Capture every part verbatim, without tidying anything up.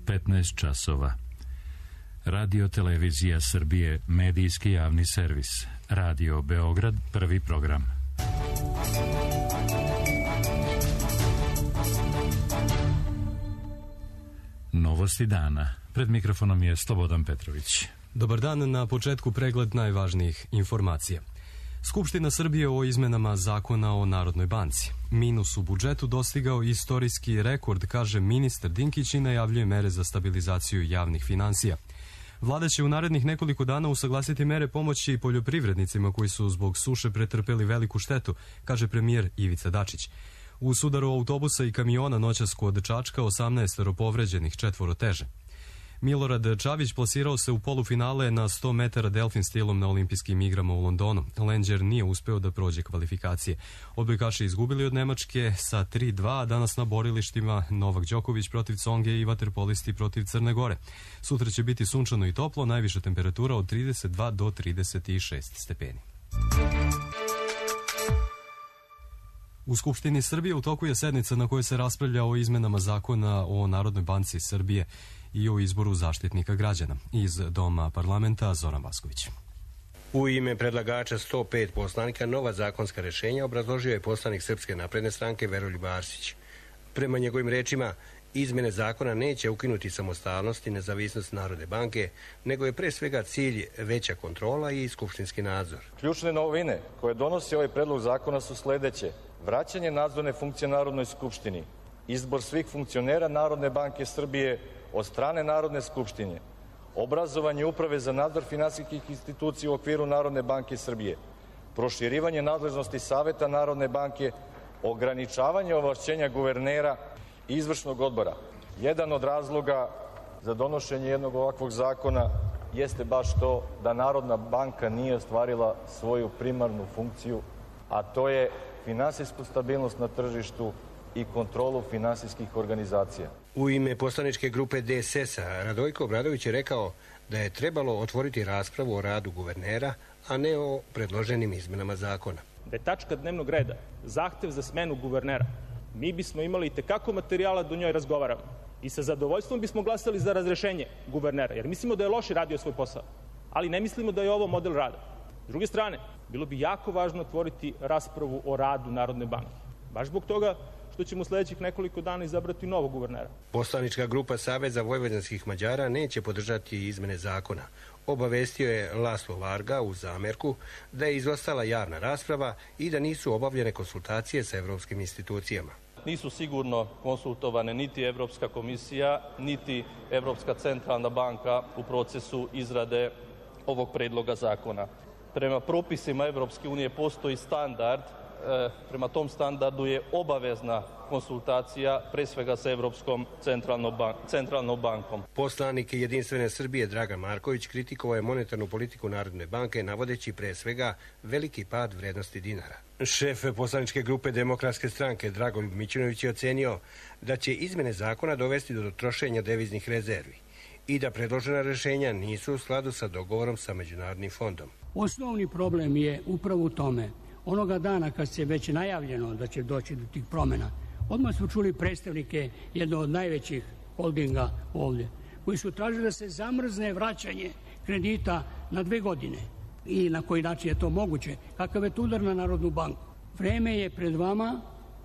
petnaest časova. Radio Televizija Srbije, medijski javni servis. Radio Beograd, prvi program. Novosti dana. Pred mikrofonom je Slobodan Petrović. Dobar dan, na početku pregled najvažnijih informacija. Skupština Srbije o izmenama zakona o Narodnoj banci. Minus u budžetu dostigao istorijski rekord, kaže ministar Dinkić i najavljuje mere za stabilizaciju javnih finansija. Vlada će u narednih nekoliko dana usaglasiti mere pomoći poljoprivrednicima koji su zbog suše pretrpeli veliku štetu, kaže premijer Ivica Dačić. U sudaru autobusa i kamiona noćas kod Čačka osamnaestoro povređenih, četvoro teže. Milorad Čavić plasirao se u polufinale na sto metara delfin stilom na olimpijskim igrama u Londonu. Lenđer nije uspeo da prođe kvalifikacije. Odbojkaši izgubili od Nemačke sa tri dva, a danas na borilištima Novak Đoković protiv Conge i vaterpolisti protiv Crne Gore. Sutra će biti sunčano i toplo, najviša temperatura od trideset dva do trideset šest stepeni. U Skupštini Srbije u toku je sednica na kojoj se raspravlja o izmenama zakona o Narodnoj banci Srbije i o izboru zaštitnika građana. Iz Doma parlamenta Zoran Vasković. U ime predlagača sto pet poslanika nova zakonska rešenja obrazložio je poslanik Srpske napredne stranke Veroljub Arsić. Prema njegovim rečima, izmene zakona neće ukinuti samostalnost i nezavisnost Narodne banke, nego je pre svega cilj veća kontrola i skupštinski nadzor. Ključne novine koje donosi ovaj predlog zakona su sledeće: vraćanje nadzorne funkcije Narodnoj skupštini, izbor svih funkcionera Narodne banke Srbije od strane Narodne skupštine, obrazovanje uprave za nadzor finansijskih institucija u okviru Narodne banke Srbije, proširivanje nadležnosti Saveta Narodne banke, ograničavanje ovlašćenja guvernera i izvršnog odbora. Jedan od razloga za donošenje jednog ovakvog zakona jeste baš to da Narodna banka nije ostvarila svoju primarnu funkciju, a to je finansijsku stabilnost na tržištu i kontrolu finansijskih organizacija. U ime poslaničke grupe D S S-a Radojko Obradović je rekao da je trebalo otvoriti raspravu o radu guvernera, a ne o predloženim izmenama zakona. Da je tačka dnevnog reda zahtev za smenu guvernera, mi bismo imali i tekako materijala da o njoj razgovaramo i sa zadovoljstvom bismo glasali za razrešenje guvernera, jer mislimo da je loše radio svoj posao, ali ne mislimo da je ovo model rada. S druge strane, bilo bi jako važno otvoriti raspravu o radu Narodne banke, baš zbog toga što ćemo u sledećih nekoliko dana izabrati novog guvernera. Poslanička grupa Saveza vojvođanskih Mađara neće podržati izmene zakona. Obavestio je Laslo Varga u zamerku da je izostala javna rasprava i da nisu obavljene konsultacije sa evropskim institucijama. Nisu sigurno konsultovane niti Evropska komisija, niti Evropska centralna banka u procesu izrade ovog predloga zakona. Prema propisima Evropske unije postoji standard, e, prema tom standardu je obavezna konsultacija pre svega sa Evropskom centralnom, ban centralnom bankom. Poslanik Jedinstvene Srbije Dragan Marković kritikovao je monetarnu politiku Narodne banke navodeći pre svega veliki pad vrednosti dinara. Šef poslaničke grupe Demokratske stranke Dragoljub Mićunović je ocenio da će izmene zakona dovesti do trošenja deviznih rezervi i da predložena rešenja nisu u skladu sa dogovorom sa Međunarodnim fondom. Osnovni problem je upravo u tome. Onoga dana kad se već najavljeno da će doći do tih promjena, odmah smo čuli predstavnike jednog od najvećih holdinga ovdje, koji su tražili da se zamrzne vraćanje kredita na dve godine. I na koji način je to moguće? Kakav je to udar na Narodnu banku? Vreme je pred vama,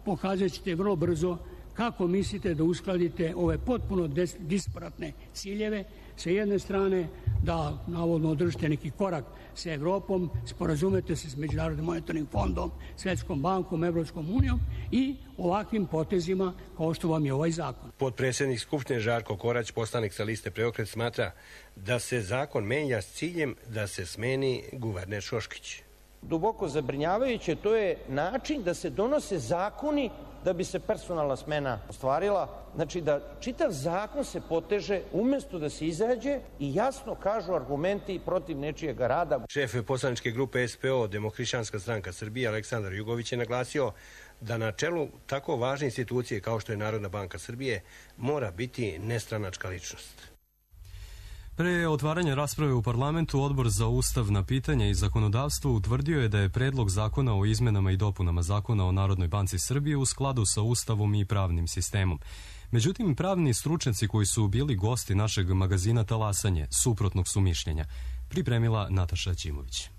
pokazat ćete vrlo brzo kako mislite da uskladite ove potpuno disparatne ciljeve. Sa jedne strane da navodno održite neki korak sa Evropom, sporazumete se s Međunarodnim monetarnim fondom, Svetskom bankom, Evropskom unijom i ovakvim potezima kao što vam je ovaj zakon. Potpredsjednik Skupštine Žarko Korać, poslanik sa liste Preokret, smatra da se zakon menja s ciljem da se smeni guverner Šoškić. Duboko zabrinjavajuće, to je način da se donose zakoni da bi se personalna smena ostvarila. Znači da čitav zakon se poteže umesto da se izađe i jasno kažu argumenti protiv nečijeg rada. Šef poslaničke grupe S P O, Demohrišćanska stranka Srbije, Aleksandar Jugović je naglasio da na čelu tako važne institucije kao što je Narodna banka Srbije mora biti nestranačka ličnost. Pre otvaranja rasprave u parlamentu, Odbor za ustavna pitanja i zakonodavstvo utvrdio je da je predlog zakona o izmenama i dopunama Zakona o Narodnoj banci Srbije u skladu sa Ustavom i pravnim sistemom. Međutim, pravni stručnjaci koji su bili gosti našeg magazina Talasanje suprotnog su mišljenja, pripremila Nataša Ćimović.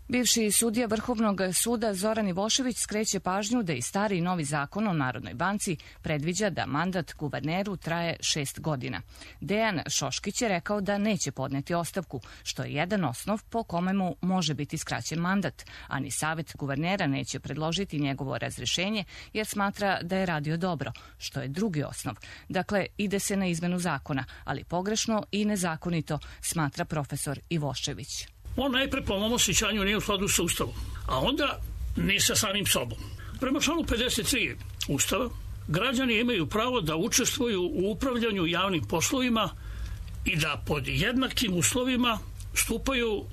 Bivši sudija Vrhovnog suda Zoran Ivošević skreće pažnju da i stari i novi zakon o Narodnoj banci predviđa da mandat guverneru traje šest godina. Dejan Šoškić je rekao da neće podneti ostavku, što je jedan osnov po kome mu može biti skraćen mandat, a ni Savet guvernera neće predložiti njegovo razrešenje jer smatra da je radio dobro, što je drugi osnov. Dakle, ide se na izmenu zakona, ali pogrešno i nezakonito, smatra profesor Ivošević. On najpre po mom osjećanju nije u skladu sa Ustavom, a onda ni sa samim sobom. Prema članu pedeset tri Ustava, građani imaju pravo da učestvuju u upravljanju javnim poslovima i da pod jednakim uslovima stupaju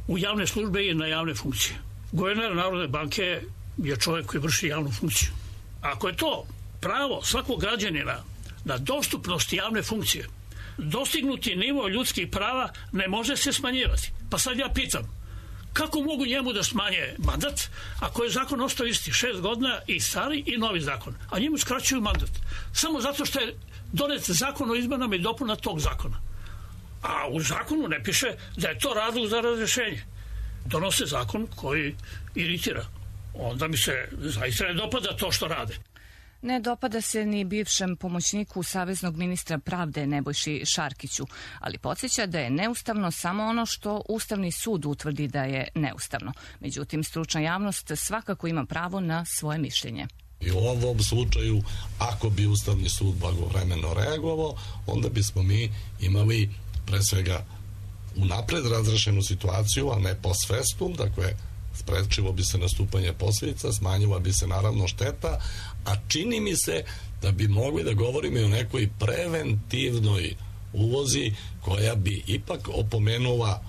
u javne službe i na javne funkcije. Guverner Narodne banke je čovjek koji vrši javnu funkciju. Ako je to pravo svakog građanina na dostupnost javne funkcije, dostignuti nivo ljudskih prava ne može se smanjivati. Pa sad ja pitam, kako mogu njemu da smanje mandat ako je zakon ostao isti, šest godina i stari i novi zakon, a njemu skraćuju mandat samo zato što je donet zakon o izmenama i dopuna tog zakona. A u zakonu ne piše da je to razlog za razrešenje. Donose zakon koji iritira. Onda mi se zaista ne dopada to što rade. Ne dopada se ni bivšem pomoćniku saveznog ministra pravde Nebojši Šarkiću, ali podsjeća da je neustavno samo ono što Ustavni sud utvrdi da je neustavno. Međutim, stručna javnost svakako ima pravo na svoje mišljenje. I u ovom slučaju, ako bi Ustavni sud blagovremeno reagovao, onda bismo mi imali pre svega unapred razrešenu situaciju, a ne post festum, dakle, sprečilo bi se nastupanje posljedica, smanjila bi se naravno šteta, a čini mi se da bi mogli da govorimo i o nekoj preventivnoj ulozi koja bi ipak opomenula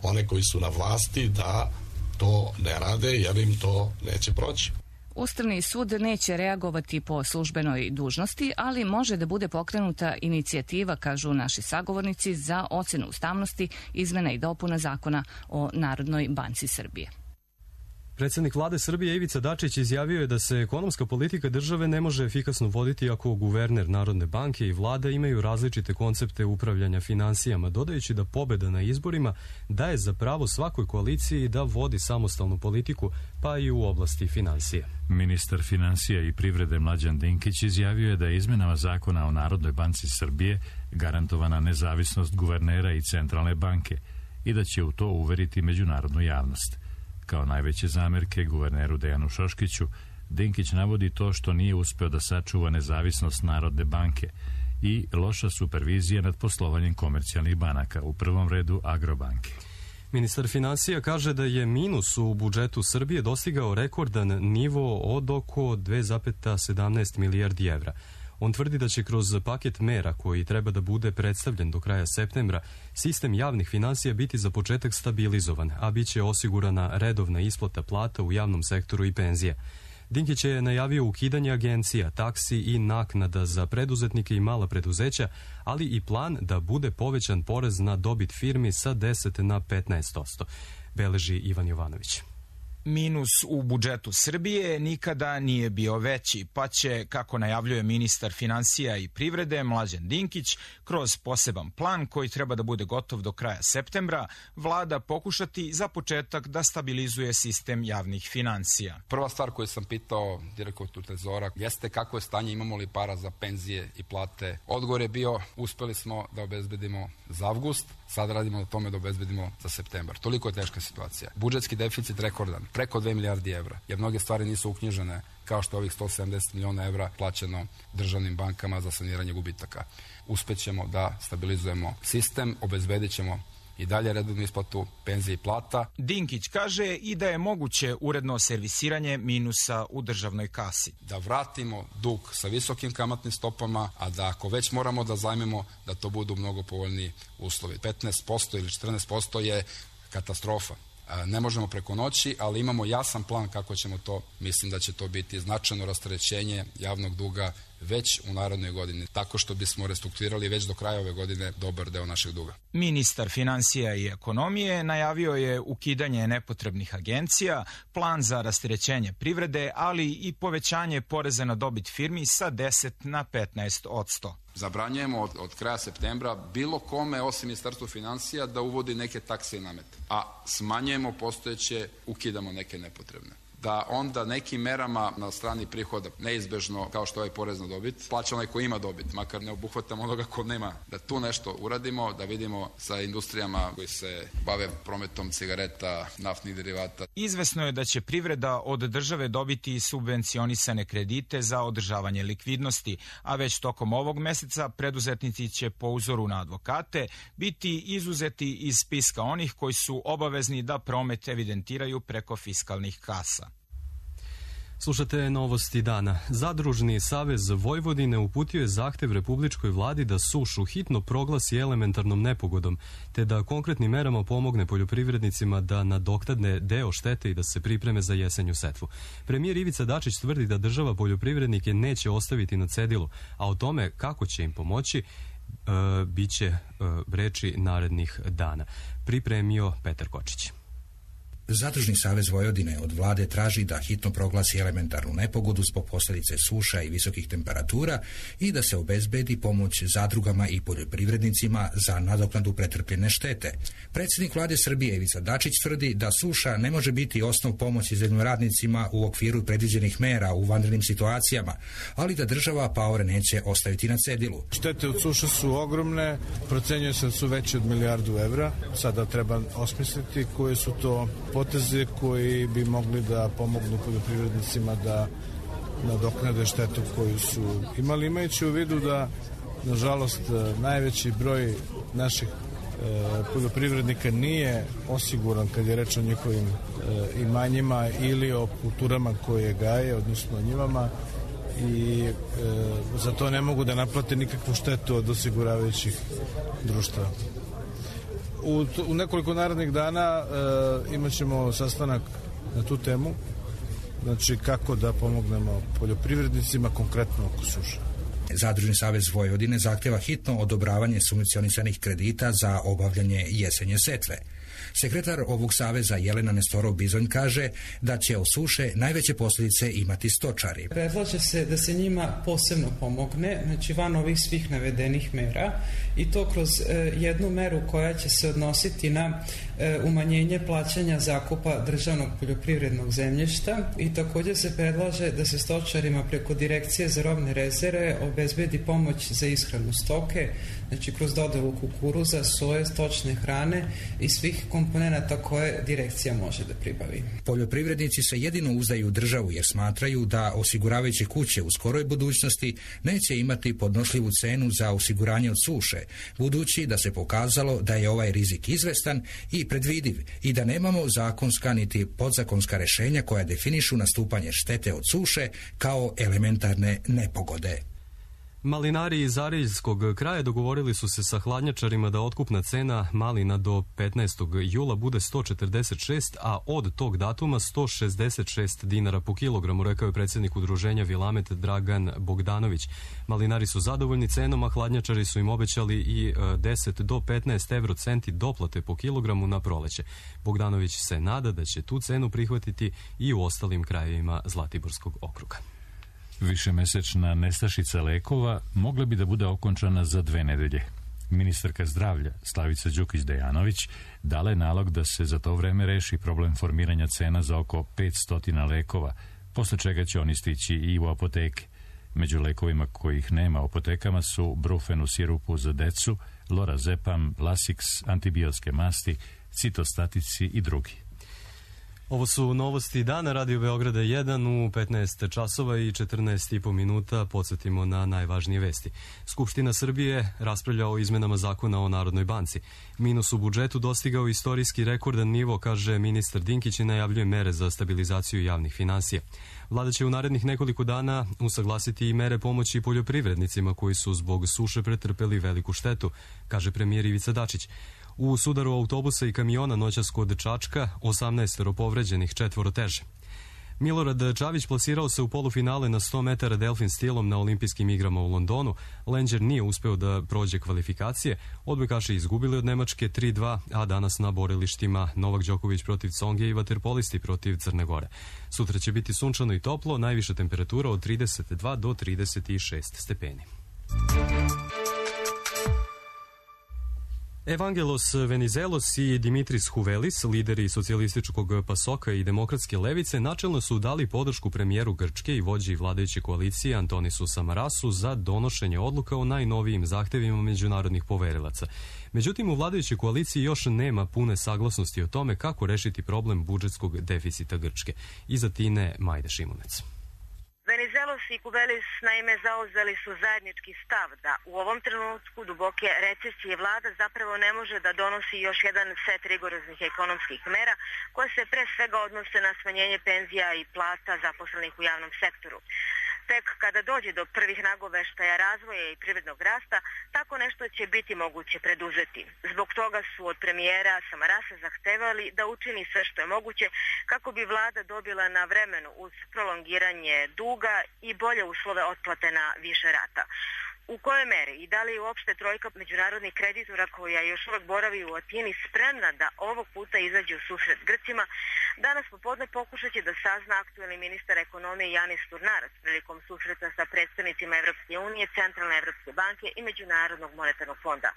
one koji su na vlasti da to ne rade jer im to neće proći. Ustavni sud neće reagovati po službenoj dužnosti, ali može da bude pokrenuta inicijativa, kažu naši sagovornici, za ocenu ustavnosti izmena i dopuna Zakona o Narodnoj banci Srbije. Predsjednik vlade Srbije Ivica Dačić izjavio je da se ekonomska politika države ne može efikasno voditi ako guverner Narodne banke i vlada imaju različite koncepte upravljanja finansijama, dodajući da pobeda na izborima daje za pravo svakoj koaliciji da vodi samostalnu politiku, pa i u oblasti finansija. Ministar finansija i privrede Mlađan Dinkić izjavio je da je izmenama Zakona o Narodnoj banci Srbije garantovana nezavisnost guvernera i centralne banke i da će u to uveriti međunarodnu javnost. Kao najveće zamerke guverneru Dejanu Šoškiću, Dinkić navodi to što nije uspeo da sačuva nezavisnost Narodne banke i loša supervizija nad poslovanjem komercijalnih banaka, u prvom redu Agrobanke. Ministar finansija kaže da je minus u budžetu Srbije dostigao rekordan nivo od oko dve zarez sedamnaest milijardi evra. On tvrdi da će kroz paket mera koji treba da bude predstavljen do kraja septembra, sistem javnih finansija biti za početak stabilizovan, a bit će osigurana redovna isplata plata u javnom sektoru i penzija. Dinkić je najavio ukidanje agencija, taksi i naknada za preduzetnike i mala preduzeća, ali i plan da bude povećan porez na dobit firmi sa deset na petnaest posto, beleži Ivan Jovanović. Minus u budžetu Srbije nikada nije bio veći, pa će, kako najavljuje ministar finansija i privrede Mlađan Dinkić, kroz poseban plan koji treba da bude gotov do kraja septembra, vlada pokušati za početak da stabilizuje sistem javnih finansija. Prva stvar koju sam pitao direktoru Trezora jeste kako je stanje, imamo li para za penzije i plate. Odgovor je bio, uspeli smo da obezbedimo za avgust, sad radimo na tome da obezbedimo za septembar. Toliko je teška situacija. Budžetski deficit rekordan, preko dve milijardi evra, jer mnoge stvari nisu uknjižene, kao što je ovih sto sedamdeset miliona evra plaćeno državnim bankama za saniranje gubitaka. Uspećemo da stabilizujemo sistem, obezbedit ćemo i dalje redovnu isplatu penzije i plata. Dinkić kaže i da je moguće uredno servisiranje minusa u državnoj kasi. Da vratimo dug sa visokim kamatnim stopama, a da ako već moramo da zajmemo, da to budu mnogo povoljniji uslovi. petnaest posto ili četrnaest posto je katastrofa. Ne možemo preko noći, ali imamo jasan plan kako ćemo to, mislim da će to biti značajno rasterećenje javnog duga, već u narednoj godini, tako što bismo restrukturirali već do kraja ove godine dobar deo našeg duga. Ministar finansija i ekonomije najavio je ukidanje nepotrebnih agencija, plan za rasterećenje privrede, ali i povećanje poreza na dobit firmi sa deset na petnaest odsto. Zabranjujemo od, od kraja septembra bilo kome osim Ministarstva finansija da uvodi neke takse i namete, a smanjujemo postojeće, ukidamo neke nepotrebne. Da onda nekim merama na strani prihoda, neizbežno kao što je ovaj porez na dobit, plaća onaj ko ima dobit, makar ne obuhvatamo onoga ko nema, da tu nešto uradimo, da vidimo sa industrijama koji se bave prometom cigareta, naftnih derivata. Izvesno je da će privreda od države dobiti subvencionisane kredite za održavanje likvidnosti, a već tokom ovog meseca preduzetnici će po uzoru na advokate biti izuzeti iz spiska onih koji su obavezni da promet evidentiraju preko fiskalnih kasa. Slušate novosti dana. Zadružni savez Vojvodine uputio je zahtev Republičkoj vladi da sušu hitno proglasi elementarnom nepogodom, te da konkretnim merama pomogne poljoprivrednicima da nadoknade deo štete i da se pripreme za jesenju setvu. Premijer Ivica Dačić tvrdi da država poljoprivrednike neće ostaviti na cedilu, a o tome kako će im pomoći e, bit će e, reči narednih dana. Pripremio Petar Kočić. Zadružni savez Vojvodine od vlade traži da hitno proglasi elementarnu nepogodu zbog posljedice suša i visokih temperatura i da se obezbedi pomoć zadrugama i poljoprivrednicima za nadoknadu pretrpljene štete. Predsjednik vlade Srbije Ivica Dačić tvrdi da suša ne može biti osnov pomoći zemljoradnicima u okviru predviđenih mera u vanrednim situacijama, ali da država paore neće ostaviti na cedilu. Štete od suša su ogromne, procenjuje se da su veće od milijardu evra. Sada treba osmisliti koje su to poteze koji bi mogli da pomognu poljoprivrednicima da nadoknade štetu koju su imali, imajući u vidu da, nažalost, najveći broj naših e, poljoprivrednika nije osiguran kad je reč o njihovim e, imanjima ili o kulturama koje gaje, odnosno o njivama, i e, za to ne mogu da naplate nikakvu štetu od osiguravajućih društava. U, u nekoliko narednih dana e, imat ćemo sastanak na tu temu, znači kako da pomognemo poljoprivrednicima konkretno oko suše. Zadružni savez Vojvodine zahtjeva hitno odobravanje subvencionisanih kredita za obavljanje jesenje setve. Sekretar ovog saveza Jelena Nestorov-Bizonj kaže da će od suše najveće posljedice imati stočari. Predlaže se da se njima posebno pomogne, znači van ovih svih navedenih mera, i to kroz e, jednu meru koja će se odnositi na e, umanjenje plaćanja zakupa državnog poljoprivrednog zemljišta, i također se predlaže da se stočarima preko Direkcije za robne rezerve obezbedi pomoć za ishranu stoke, znači kroz dodelu kukuruza, soje, stočne hrane i svih komponenata koje direkcija može da pribavi. Poljoprivrednici se jedino uzdaju u državu jer smatraju da osiguravajuće kuće u skoroj budućnosti neće imati podnošljivu cenu za osiguranje od suše, budući da se pokazalo da je ovaj rizik izvestan i predvidiv i da nemamo zakonska niti podzakonska rješenja koja definišu nastupanje štete od suše kao elementarne nepogode. Malinari iz Ariljskog kraja dogovorili su se sa hladnjačarima da otkupna cena malina do petnaestog jula bude sto četrdeset šest, a od tog datuma sto šezdeset šest dinara po kilogramu, rekao je predsjednik udruženja Vilamet Dragan Bogdanović. Malinari su zadovoljni cenom, a hladnjačari su im obećali i deset do petnaest evro centi doplate po kilogramu na proleće. Bogdanović se nada da će tu cenu prihvatiti i u ostalim krajevima Zlatiborskog okruga. Višemesečna nestašica lekova mogla bi da bude okončana za dve nedelje. Ministarka zdravlja Slavica Đukić-Dejanović dala je nalog da se za to vreme reši problem formiranja cena za oko petsto lekova, posle čega će oni stići i u apoteke. Među lekovima kojih nema u apotekama su brufen u sirupu za decu, lorazepam, lasix, antibiotske masti, citostatici i drugi. Ovo su novosti dana Radio Beograda jedan u petnaest časova i četrnaest i po minuta. Podsjetimo na najvažnije vesti. Skupština Srbije raspravlja o izmenama zakona o Narodnoj banci. Minus u budžetu dostigao istorijski rekordan nivo, kaže ministar Dinkić, i najavljuje mere za stabilizaciju javnih finansija. Vlada će u narednih nekoliko dana usaglasiti i mere pomoći poljoprivrednicima koji su zbog suše pretrpeli veliku štetu, kaže premijer Ivica Dačić. U sudaru autobusa i kamiona noćas kod Čačka osamnaest povređenih, četvoro teže. Milorad Čavić plasirao se u polufinale na sto metara delfin stilom na olimpijskim igrama u Londonu. Lenđer nije uspeo da prođe kvalifikacije. Odbojkaši izgubili od Nemačke tri dva, a danas na borilištima Novak Đoković protiv Conge i vaterpolisti protiv Crne Gore. Sutra će biti sunčano i toplo, najviša temperatura od trideset dva do trideset šest stepeni. Evangelos Venizelos i Dimitris Huvelis, lideri socijalističkog pasoka i demokratske levice, načelno su dali podršku premijeru Grčke i vođi vladajuće koalicije Antonisu Samarasu za donošenje odluka o najnovijim zahtevima međunarodnih poverilaca. Međutim, u vladajućoj koaliciji još nema pune saglasnosti o tome kako rešiti problem budžetskog deficita Grčke. Iza Tine Majde Šimunec. Venizelos i Kuvelis naime zauzeli su zajednički stav da u ovom trenutku duboke recesije vlada zapravo ne može da donosi još jedan set rigoroznih ekonomskih mera koje se pre svega odnose na smanjenje penzija i plata zaposlenih u javnom sektoru. Tek kada dođe do prvih nagoveštaja razvoja i privrednog rasta, tako nešto će biti moguće preduzeti. Zbog toga su od premijera Samarasa zahtevali da učini sve što je moguće kako bi vlada dobila na vremenu uz prolongiranje duga i bolje uslove otplate na više rata. U kojoj meri i da li je uopšte trojka međunarodnih kreditora koja još uvek boravi u Atini spremna da ovog puta izađe u susret Grcima, danas popodne pokušat će da sazna aktuelni ministar ekonomije Janis Turnaras prilikom susreta sa predstavnicima Evropske unije, Centralne Evropske banke i Međunarodnog monetarnog fonda.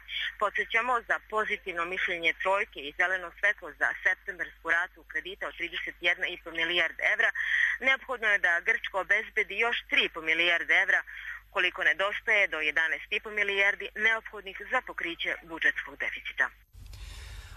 Podsjećamo, za pozitivno mišljenje trojke i zeleno svetlo za septembersku ratu kredita od trideset jedna i po milijarde evra, neophodno je da Grčka obezbedi još tri i po milijarde evra, koliko nedostaje do jedanaest i po milijardi neophodnih za pokriće budžetskog deficita.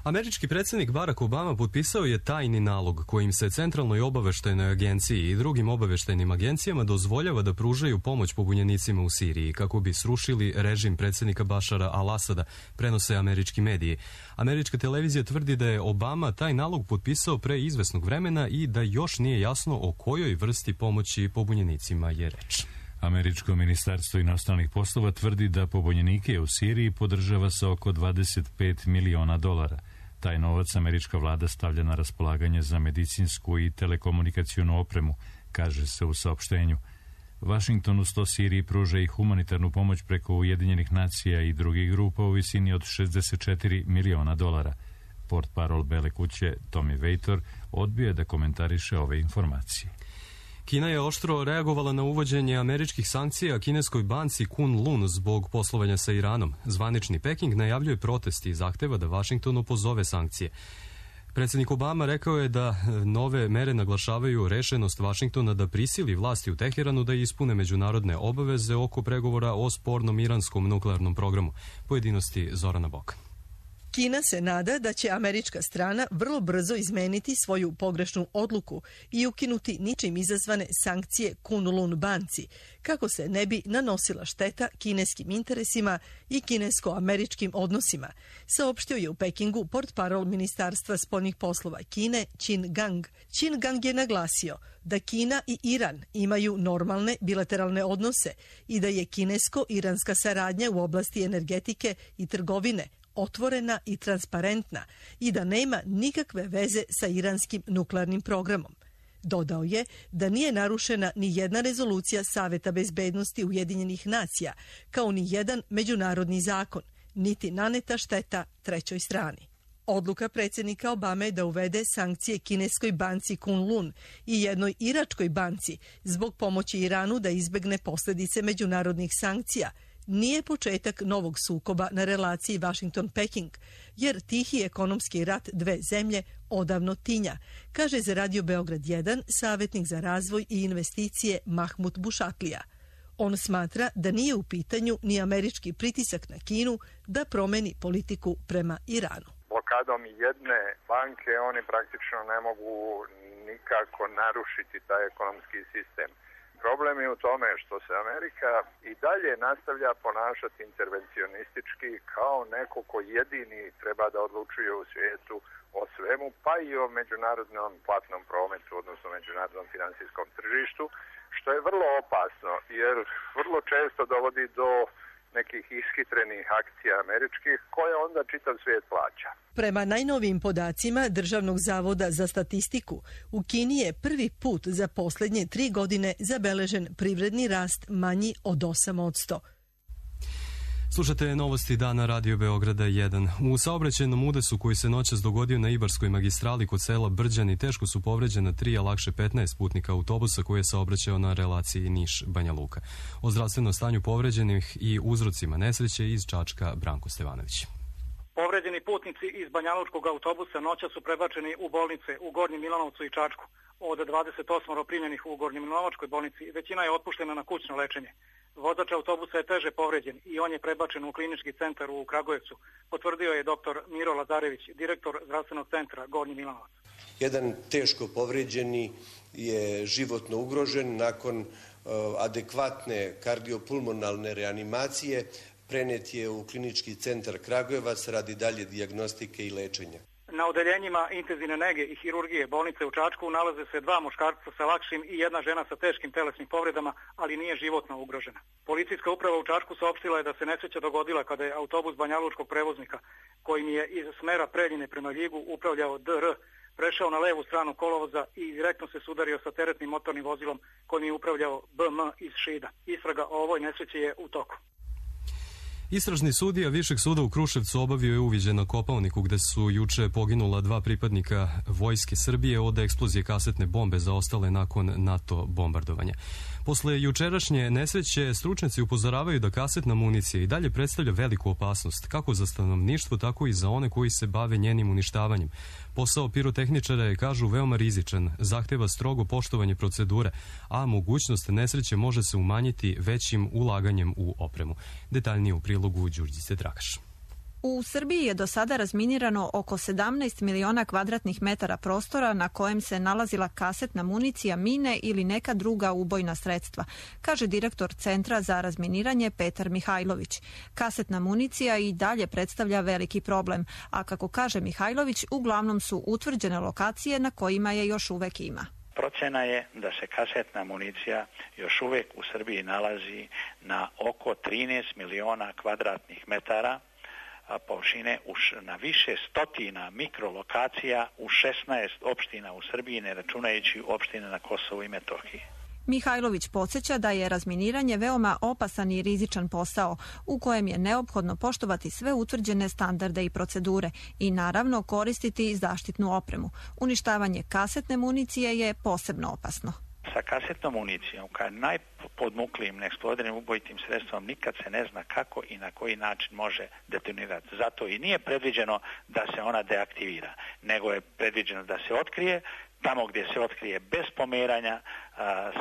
Američki predsjednik Barack Obama potpisao je tajni nalog kojim se Centralnoj obaveštajnoj agenciji i drugim obaveštajnim agencijama dozvoljava da pružaju pomoć pobunjenicima u Siriji kako bi srušili režim predsjednika Bašara al-Asada, prenose američki mediji. Američka televizija tvrdi da je Obama taj nalog potpisao pre izvesnog vremena i da još nije jasno o kojoj vrsti pomoći pobunjenicima je reč. Američko ministarstvo inostranih poslova tvrdi da pobunjenike u Siriji podržava sa oko dvadeset pet miliona dolara. Taj novac američka vlada stavlja na raspolaganje za medicinsku i telekomunikacionu opremu, kaže se u saopštenju. Vašington uz to Siriji pruža i humanitarnu pomoć preko Ujedinjenih nacija i drugih grupa u visini od šezdeset četiri miliona dolara. Portparol Bele kuće Tommy Vejtor odbio je da komentariše ove informacije. Kina je oštro reagovala na uvođenje američkih sankcija kineskoj banci Kunlun zbog poslovanja sa Iranom. Zvanični Peking najavljuje protest i zahteva da Vašington opozove sankcije. Predsjednik Obama rekao je da nove mere naglašavaju rešenost Vašingtona da prisili vlasti u Teheranu da ispune međunarodne obaveze oko pregovora o spornom iranskom nuklearnom programu. Pojedinosti Zorana Bokan. Kina se nada da će američka strana vrlo brzo izmeniti svoju pogrešnu odluku i ukinuti ničim izazvane sankcije Kunlun banci, kako se ne bi nanosila šteta kineskim interesima i kinesko-američkim odnosima, saopštio je u Pekingu portparol Ministarstva spoljnih poslova Kine Qin Gang. Qin Gang je naglasio da Kina i Iran imaju normalne bilateralne odnose i da je kinesko-iranska saradnja u oblasti energetike i trgovine otvorena i transparentna i da nema nikakve veze sa iranskim nuklearnim programom. Dodao je da nije narušena ni jedna rezolucija Saveta bezbednosti Ujedinjenih nacija, kao ni jedan međunarodni zakon, niti naneta šteta trećoj strani. Odluka predsjednika Obame da uvede sankcije kineskoj banci Kunlun i jednoj iračkoj banci zbog pomoći Iranu da izbegne posljedice međunarodnih sankcija nije početak novog sukoba na relaciji Washington-Peking, jer tihi ekonomski rat dve zemlje odavno tinja, kaže za Radio Beograd jedan savjetnik za razvoj i investicije Mahmud Bušatlija. On smatra da nije u pitanju ni američki pritisak na Kinu da promeni politiku prema Iranu. Blokadom jedne banke oni praktično ne mogu nikako narušiti taj ekonomski sistem. Problem je u tome što se Amerika i dalje nastavlja ponašati intervencionistički kao neko ko jedini treba da odlučuje u svijetu o svemu, pa i o međunarodnom platnom prometu, odnosno međunarodnom finansijskom tržištu, što je vrlo opasno jer vrlo često dovodi do nekih ishitrenih akcija američkih koje onda čitav svijet plaća. Prema najnovijim podacima Državnog zavoda za statistiku, u Kini je prvi put za posljednje tri godine zabeležen privredni rast manji od osam posto. Slušate novosti dana Radio Beograda jedan. U saobraćajnom udesu koji se noćas dogodio na Ibarskoj magistrali kod sela Brđani teško su povređena tri, a lakše petnaest putnika autobusa koji je saobraćao na relaciji Niš-Banja Luka. O zdravstvenom stanju povređenih i uzrocima nesreće iz Čačka Branko Stevanović. Povređeni putnici iz banjalučkog autobusa noća su prebačeni u bolnice u Gornjem Milanovcu i Čačku. Od dvadeset osam primljenih u Gornjem Milanovačkoj bolnici, većina je otpuštena na kućno lečenje. Vozač autobusa je teže povređen i on je prebačen u klinički centar u Kragujevcu, potvrdio je doktor Miro Lazarević, direktor zdravstvenog centra Gornji Milanovac. Jedan teško povređeni je životno ugrožen nakon uh, adekvatne kardiopulmonalne reanimacije. Prenet je u klinički centar Kragujevac radi dalje dijagnostike i lečenja. Na odeljenjima intenzivne nege i hirurgije bolnice u Čačku nalaze se dva muškarca sa lakšim i jedna žena sa teškim telesnim povredama, ali nije životno ugrožena. Policijska uprava u Čačku saopštila je da se nesreća dogodila kada je autobus banjalučkog prevoznika, kojim je iz smera Preljine prema Ljigu upravljao D R, prešao na levu stranu kolovoza i direktno se sudario sa teretnim motornim vozilom kojim je upravljao B M iz Šida. Istraga o ovoj nesreći je u toku. Istražni sudija Višeg suda u Kruševcu obavio je uviđaj na Kopaoniku gde su juče poginula dva pripadnika Vojske Srbije od eksplozije kasetne bombe zaostale nakon NATO bombardovanja. Posle jučerašnje nesreće stručnjaci upozoravaju da kasetna municija i dalje predstavlja veliku opasnost, kako za stanovništvo, tako i za one koji se bave njenim uništavanjem. Posao pirotehničara je, kažu, veoma rizičan, zahteva strogo poštovanje procedure, a mogućnost nesreće može se umanjiti većim ulaganjem u opremu. Detaljnije u prilogu Đurđice Dragaš. U Srbiji je do sada razminirano oko sedamnaest miliona kvadratnih metara prostora na kojem se nalazila kasetna municija, mine ili neka druga ubojna sredstva, kaže direktor Centra za razminiranje Petar Mihajlović. Kasetna municija i dalje predstavlja veliki problem, a kako kaže Mihajlović, uglavnom su utvrđene lokacije na kojima je još uvek ima. Procena je da se kasetna municija još uvek u Srbiji nalazi na oko trinaest miliona kvadratnih metara površine na više stotina mikrolokacija u šesnaest opština u Srbiji, ne računajući opštine na Kosovu i Metohiji. Mihajlović podsjeća da je razminiranje veoma opasan i rizičan posao u kojem je neophodno poštovati sve utvrđene standarde i procedure i naravno koristiti zaštitnu opremu. Uništavanje kasetne municije je posebno opasno. Sa kasetnom municijom, kao najpodmuklijim, neeksplodiranim ubojitim sredstvom, nikad se ne zna kako i na koji način može detonirati. Zato i nije predviđeno da se ona deaktivira, nego je predviđeno da se otkrije. Tamo gdje se otkrije bez pomeranja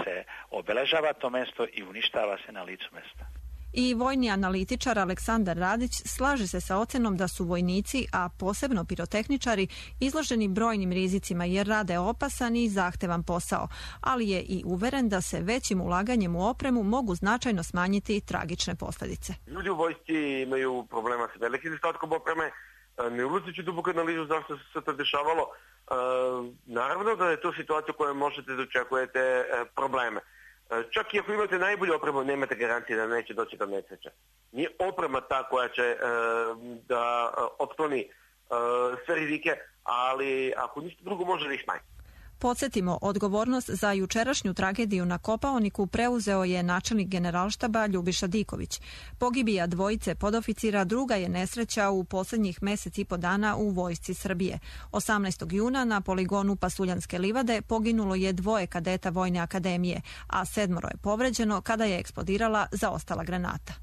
se obeležava to mesto i uništava se na licu mesta. I vojni analitičar Aleksandar Radić slaže se sa ocenom da su vojnici, a posebno pirotehničari, izloženi brojnim rizicima jer rade opasan i zahtevan posao, ali je i uveren da se većim ulaganjem u opremu mogu značajno smanjiti tragične posljedice. Ljudi u vojsci imaju problema sa velikim nedostatkom opreme, ne ulazeći duboko analizu zašto se to dešavalo. Naravno da je to situacija u kojoj možete da očekujete probleme. Čak i ako imate najbolju opremu, nemate garancije da neće doći do nesreće. Nije oprema ta koja će e, da otkloni e, sve rizike, ali ako ništa drugo može da ih smanji. Podsjetimo, odgovornost za jučerašnju tragediju na Kopaoniku preuzeo je načelnik generalštaba Ljubiša Diković. Pogibija dvojice podoficira druga je nesreća u posljednjih mesec i po dana u Vojsci Srbije. osamnaestog juna na poligonu Pasuljanske livade poginulo je dvoje kadeta Vojne akademije, a sedmoro je povređeno kada je eksplodirala zaostala granata.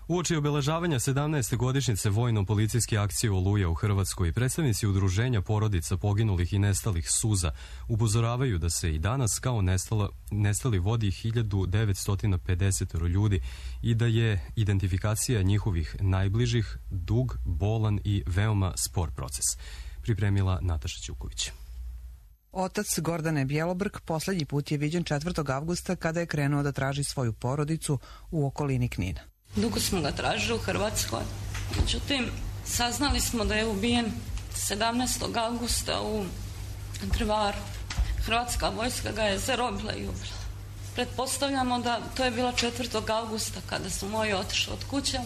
Uoči obeležavanja sedamnaeste godišnjice vojno-policijske akcije Oluja u Hrvatskoj, predstavnici udruženja porodica poginulih i nestalih Suza upozoravaju da se i danas kao nestala, nestali vodi hiljadu devetsto pedeset ljudi i da je identifikacija njihovih najbližih dug, bolan i veoma spor proces. Pripremila Nataša Ćuković. Otac Gordane Bjelobrk poslednji put je viđen četvrtog avgusta kada je krenuo da traži svoju porodicu u okolini Knina. Dugo smo ga tražili u Hrvatskoj, međutim saznali smo da je ubijen sedamnaestog avgusta u Drvaru. Hrvatska vojska ga je zarobila i ubila. Pretpostavljamo da to je bilo četvrtog avgusta kada su moji otišli od kuće.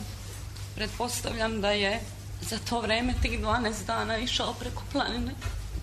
Pretpostavljam da je za to vreme tih dvanaest dana išao preko planine.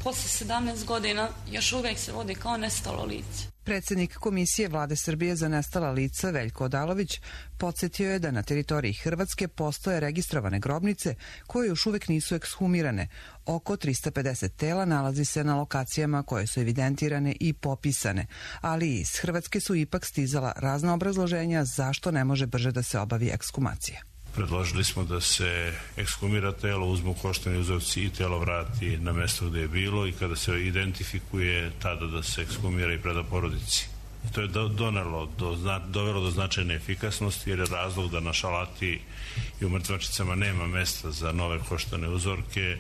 Posle sedamnaest godina još uvek se vodi kao nestalo lice. Predsjednik Komisije Vlade Srbije za nestala lica Veljko Odalović podsjetio je da na teritoriji Hrvatske postoje registrovane grobnice koje još uvek nisu ekshumirane. Oko trista pedeset tela nalazi se na lokacijama koje su evidentirane i popisane, ali iz Hrvatske su ipak stizala razna obrazloženja zašto ne može brže da se obavi ekshumacija. Predložili smo da se ekshumira telo, uzmu koštani uzorci i telo vrati na mesto gde je bilo i kada se identifikuje tada da se ekshumira i preda porodici. I to je donelo, do, dovelo do značajne efikasnosti jer je razlog da na šalati i u mrtvačicama nema mesta za nove koštane uzorke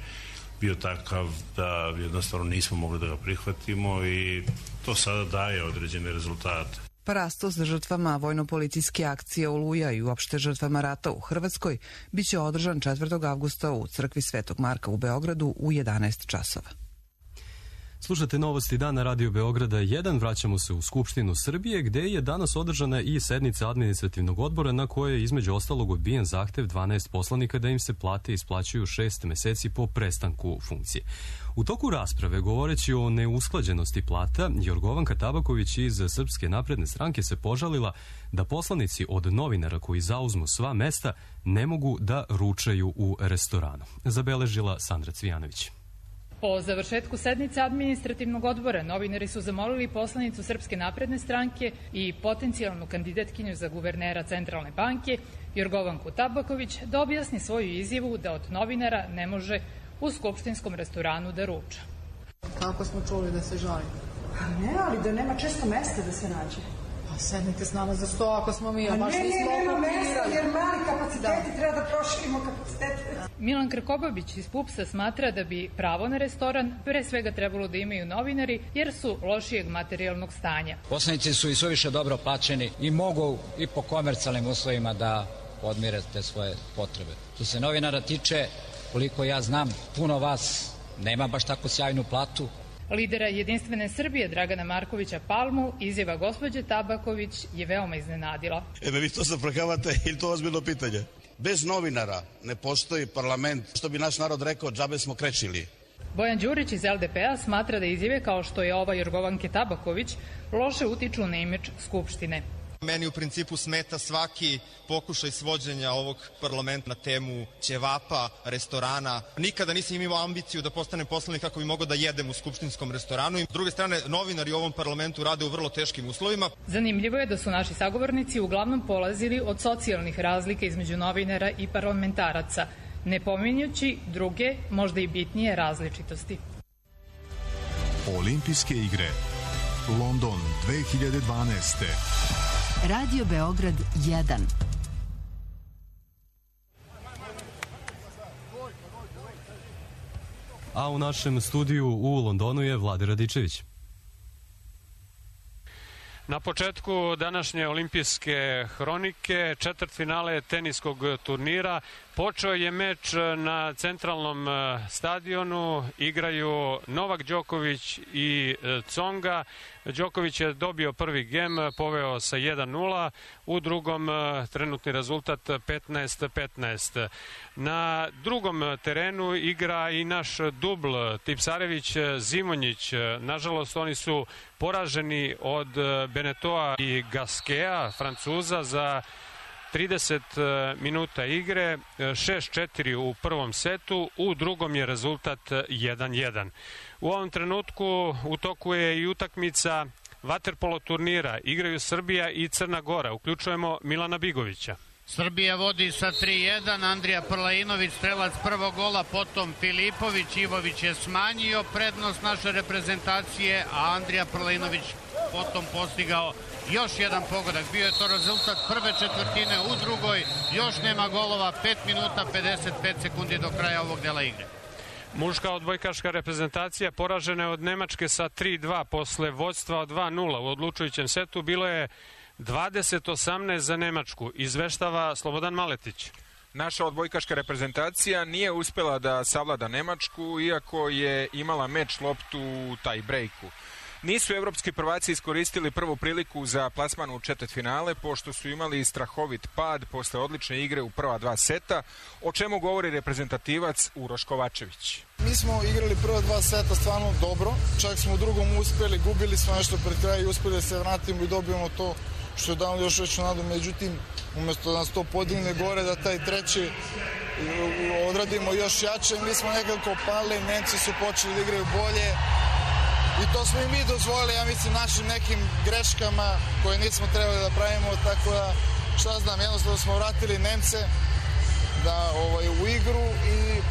bio takav da jednostavno nismo mogli da ga prihvatimo i to sada daje određene rezultate. Parastos žrtvama vojno-policijske akcije Oluja i uopšte žrtvama rata u Hrvatskoj biće održan četvrtog avgusta u crkvi Svetog Marka u Beogradu u jedanaest časova. Slušate novosti dana Radio Beograda jedan. Vraćamo se u Skupštinu Srbije gde je danas održana i sednica administrativnog odbora na kojoj je između ostalog odbijen zahtev dvanaest poslanika da im se plate isplaćuju šest meseci po prestanku funkcije. U toku rasprave, govoreći o neusklađenosti plata, Jorgovanka Tabaković iz Srpske napredne stranke se požalila da poslanici od novinara koji zauzmu sva mesta ne mogu da ručaju u restoranu. Zabeležila Sandra Cvijanović. Po završetku sednice administrativnog odbora novinari su zamolili poslanicu Srpske napredne stranke i potencijalnu kandidatkinju za guvernera Centralne banke Jorgovanku Tabaković da objasni svoju izjavu da od novinara ne može u skupštinskom restoranu da ruča. Kako smo čuli da se žali? Ne, ali da nema često mesta da se nađe. Pa sednite s nama za sto ako smo mi, a baš nismo okupirali. Ne, ne, nema mesta jer mali kapaciteti, treba da proširimo kapacitete. Milan Krkobabić iz PUPS-a smatra da bi pravo na restoran pre svega trebalo da imaju novinari jer su lošijeg materijalnog stanja. Poslanici su i suviše dobro plaćeni i mogu i po komercijalnim uslovima da podmire te svoje potrebe. Što se novinara tiče, koliko ja znam, puno vas nema baš tako sjajnu platu. Lidera Jedinstvene Srbije Dragana Markovića Palmu izjava gospođe Tabaković je veoma iznenadila. E, me vi to zaprkavate ili to ozbiljno pitanje? Bez novinara ne postoji parlament, što bi naš narod rekao, džabe smo krečili. Bojan Đurić iz L D P-a smatra da izjave kao što je ova Jorgovanke Tabaković loše utiču na imidž Skupštine. Meni u principu smeta svaki pokušaj svođenja ovog parlamenta na temu ćevapa, restorana. Nikada nisam imao ambiciju da postanem poslanik kako bi mogao da jedem u skupštinskom restoranu. S druge strane, novinari u ovom parlamentu rade u vrlo teškim uslovima. Zanimljivo je da su naši sagovornici uglavnom polazili od socijalnih razlika između novinara i parlamentaraca, ne pominjući druge, možda i bitnije različitosti. Olimpijske igre London dve hiljade dvanaeste. Radio Beograd jedan. A u našem studiju u Londonu je Vlade Radičević. Na početku današnje olimpijske hronike, četvrtfinale teniskog turnira, počeo je meč na centralnom stadionu, igraju Novak Đoković i Tsonga. Đoković je dobio prvi gem, poveo sa jedan nula, u drugom trenutni rezultat petnaest petnaest. Na drugom terenu igra i naš dubl Tipsarević-Zimonjić. Nažalost, oni su poraženi od Benetoa i Gaskea, Francuza, za trideset minuta igre, šest četiri u prvom setu, u drugom je rezultat jedan jedan. U ovom trenutku u toku je i utakmica vaterpolo turnira. Igraju Srbija i Crna Gora. Uključujemo Milana Bigovića. Srbija vodi sa tri jedan, Andrija Prlainović strelac prvog gola, potom Filipović, Ivović je smanjio prednost naše reprezentacije, a Andrija Prlainović potom postigao još jedan pogodak. Bio je to rezultat prve četvrtine, u drugoj još nema golova, pet minuta pedeset pet sekundi do kraja ovog dela igre. Muška odbojkaška reprezentacija poražena je od Nemačke sa tri dva posle vođstva od dva nula. U odlučujućem setu bilo je dvadeset osamnaest za Nemačku, izveštava Slobodan Maletić. Naša odbojkaška reprezentacija nije uspela da savlada Nemačku, iako je imala meč loptu u taj brejku. Nisu evropski prvaci iskoristili prvu priliku za plasman u četvrtfinale, pošto su imali strahovit pad posle odlične igre u prva dva seta, o čemu govori reprezentativac Uroš Kovačević. Mi smo igrali prva dva seta stvarno dobro, čak smo u drugom uspeli, gubili smo nešto pred kraj i uspeli da se vratimo i dobijemo to što je dalo još veću nadu, međutim, umjesto da nas to podigne gore, da taj treći odradimo još jače, mi smo nekako pali, Nemci su počeli da igraju bolje i to smo i mi dozvolili, ja mislim, našim nekim greškama koje nismo trebali da pravimo, tako da, šta znam, jednostavno smo vratili Nemce da, ovaj, u igru i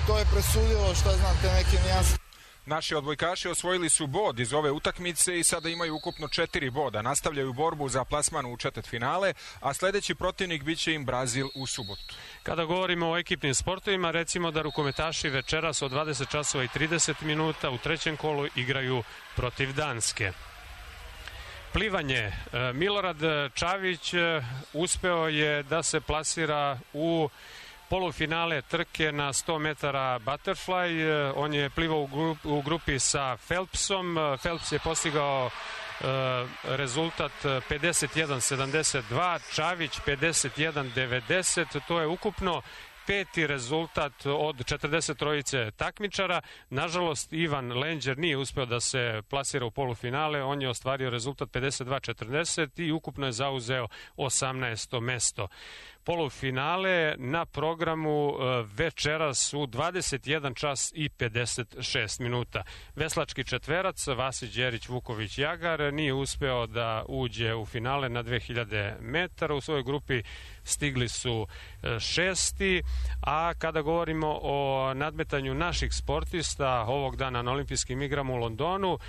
to je presudilo, šta znam, te neke nijanse. Naši odbojkaši osvojili su bod iz ove utakmice i sada imaju ukupno četiri boda. Nastavljaju borbu za plasman u četvrtfinale, a sledeći protivnik biće im Brazil u subotu. Kada govorimo o ekipnim sportovima, recimo da rukometaši večeras od dvadeset časova i trideset minuta u trećem kolu igraju protiv Danske. Plivanje. Milorad Čavić uspeo je da se plasira u polufinale trke na sto metara butterfly. On je plivao u, grup, u grupi sa Phelpsom. Phelps je postigao e, rezultat pedeset jedan sedamdeset dva, Čavić pedeset jedan devedeset. To je ukupno peti rezultat od četrdeset trojice takmičara. Nažalost, Ivan Lenđer nije uspeo da se plasira u polufinale. On je ostvario rezultat pedeset dva četrdeset i ukupno je zauzeo osamnaesto mesto. Polufinale na programu večeras u dvadeset jedan čas i pedeset šest minuta. Veslački četverac Vasić Đerić Vuković Jagar nije uspeo da uđe u finale na dve hiljade metara. U svojoj grupi stigli su šesti, a kada govorimo o nadmetanju naših sportista ovog dana na olimpijskim igrama u Londonu,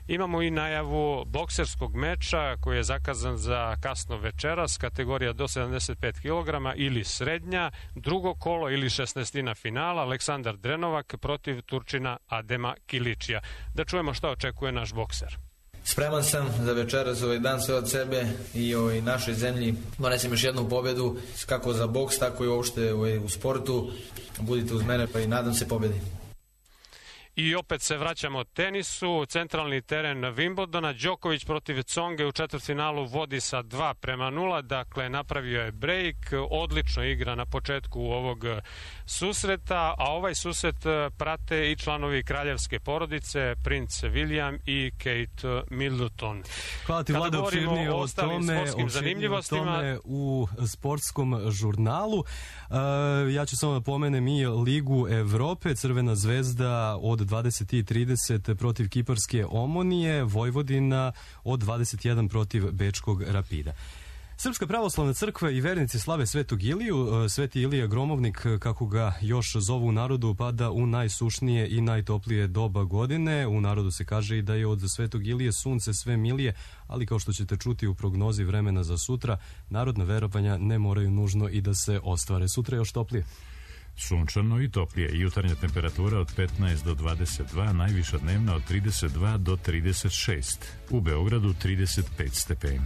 imamo i najavu bokserskog meča koji je zakazan za kasno večeras, kategorija do sedamdeset pet kilograma ili srednja, drugo kolo ili šesnaestina finala, Aleksandar Drenovak protiv Turčina Adema Kiličija. Da čujemo šta očekuje naš bokser. Spreman sam za večeras, ovaj dan sve od sebe i ovaj našoj zemlji donesem još jednu pobedu, kako za boks, tako i uopšte ovaj, u sportu. Budite uz mene pa i nadam se pobedi. I opet se vraćamo tenisu, centralni teren Wimbledona, Đoković protiv Conge u četvrtfinalu vodi sa dva prema nula, dakle napravio je break, odlično igra na početku ovog susreta, a ovaj susret prate i članovi kraljevske porodice, princ William i Kate Middleton. Hvala ti, Vlada, opširnije o tome, opširnije o tome u sportskom žurnalu. Uh, ja ću samo da pomenem i Ligu Evrope, Crvena zvezda od dvadeset i trideset protiv Kiparske Omonije, Vojvodina od dvadeset jedan protiv Bečkog Rapida. Srpska pravoslavna crkva i vernici slave Svetog Iliju. Sveti Ilija Gromovnik, kako ga još zovu u narodu, pada u najsušnije i najtoplije doba godine. U narodu se kaže i da je od Svetog Ilije sunce sve milije, ali kao što ćete čuti u prognozi vremena za sutra, narodna verovanja ne moraju nužno i da se ostvare. Sutra je još toplije. Sunčano i toplije. Jutarnja temperatura od petnaest do dvadeset dva, najviša dnevna od trideset dva do trideset šest. U Beogradu trideset pet stepeni.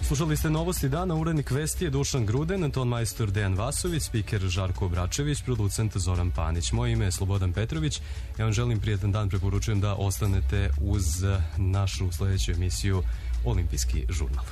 Slušali ste novosti dana, urednik vesti je Dušan Gruden, ton majstor Dejan Vasović, spiker Žarko Obračević, producent Zoran Panić. Moje ime je Slobodan Petrović. Ja vam želim prijetan dan, preporučujem da ostanete uz našu sledeću emisiju Olimpijski žurnal.